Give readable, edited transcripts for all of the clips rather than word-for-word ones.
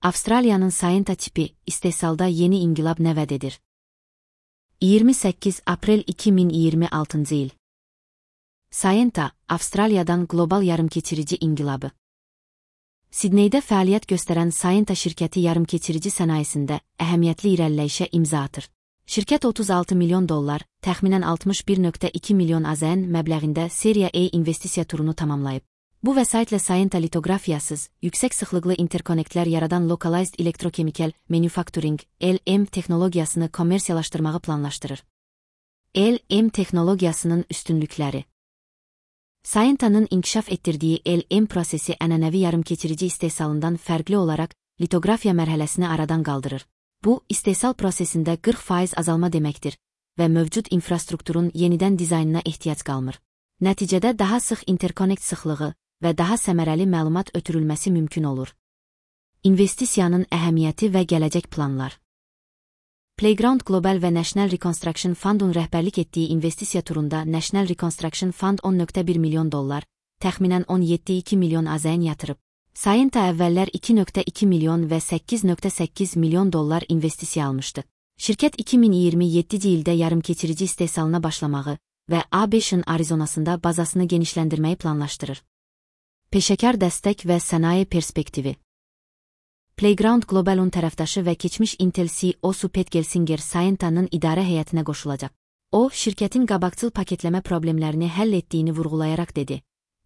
Avstraliyanın Scienta tipi istehsalda yeni inqilab nə vəd edir? 28 aprel 2026 il. Scienta, Avstraliyadan qlobal yarımkeçirici inqilabı. Sidneydə fəaliyyət göstərən Scienta şirkəti yarımkeçirici sənayesində əhəmiyyətli irəliləyişə imza atır. Şirkət $36 milyon, təxminən 61,2 milyon AZN məbləğində Seriya A investisiya turunu tamamlayıb. Bu vəsaitlə Scienta litoqrafiyasız, yüksək sıxlıqlı interkonektlər yaradan Localized Electrochemical Manufacturing (LM) texnologiyasını kommersiyalaşdırmağı planlaşdırır. LM texnologiyasının üstünlükləri. Scienta'nın inkişaf etdirdiyi LM prosesi ənənəvi yarımkeçirici istehsalından fərqli olaraq litoqrafiya mərhələsini aradan qaldırır. Bu, istehsal prosesində 40% azalma deməkdir və mövcud infrastrukturun yenidən dizaynına ehtiyac qalmır. Nəticədə daha sıx interkonekt sıxlığı və daha səmərəli məlumat ötürülməsi mümkün olur. İnvestisiyanın əhəmiyyəti və gələcək planlar. Playground Global və National Reconstruction Fund'un rəhbərlik etdiyi investisiya turunda National Reconstruction Fund $10,1 milyon, təxminən 17,2 milyon AZN yatırıb. Scienta əvvəllər 2,2 milyon və 8,8 milyon dollar investisiya almışdı. Şirkət 2027 ildə yarımkeçirici istehsalına başlamağı və A5-in Arizonasında bazasını genişləndirməyi planlaşdırır. Peşəkar dəstək və sənaye perspektivi. Playground Global'un tərəfdaşı və keçmiş Intel CEO-su Pat Gelsinger Scienta'nın idarə heyətinə qoşulacaq. O, şirkətin qabaqcıl paketləmə problemlərini həll etdiyini vurğulayaraq dedi.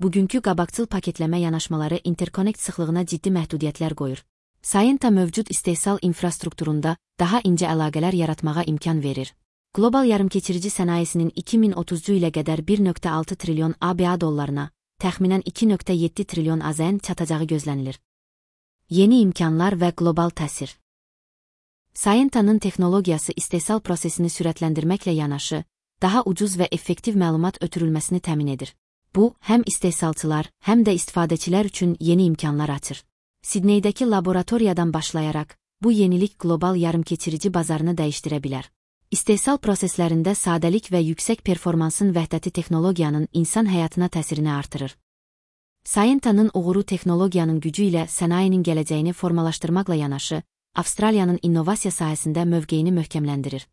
Bugünkü qabaqcıl paketləmə yanaşmaları interkonekt sıxlığına ciddi məhdudiyyətlər qoyur. Scienta mövcud istehsal infrastrukturunda daha incə əlaqələr yaratmağa imkan verir. Qlobal yarımkeçirici sənayesinin 2030 ilə qədər 1,6 trilyon ABA dollarına, təxminən 2,7 trilyon AZN çatacağı gözlənilir. Yeni imkanlar və qlobal təsir. Scienta'nın texnologiyası istehsal prosesini sürətləndirməklə yanaşı, daha ucuz və effektiv məlumat ötürülməsini təmin edir. Bu, həm istehsalçılar, həm də istifadəçilər üçün yeni imkanlar açır. Sidneydəki laboratoriyadan başlayaraq, bu yenilik qlobal yarımkeçirici bazarını dəyişdirə bilər. İstehsal proseslərində sadəlik və yüksək performansın vəhdəti texnologiyanın insan həyatına təsirini artırır. Scienta'nın uğuru texnologiyanın gücü ilə sənayenin gələcəyini formalaşdırmaqla yanaşı, Avstraliyanın innovasiya sahəsində mövqeyini möhkəmləndirir.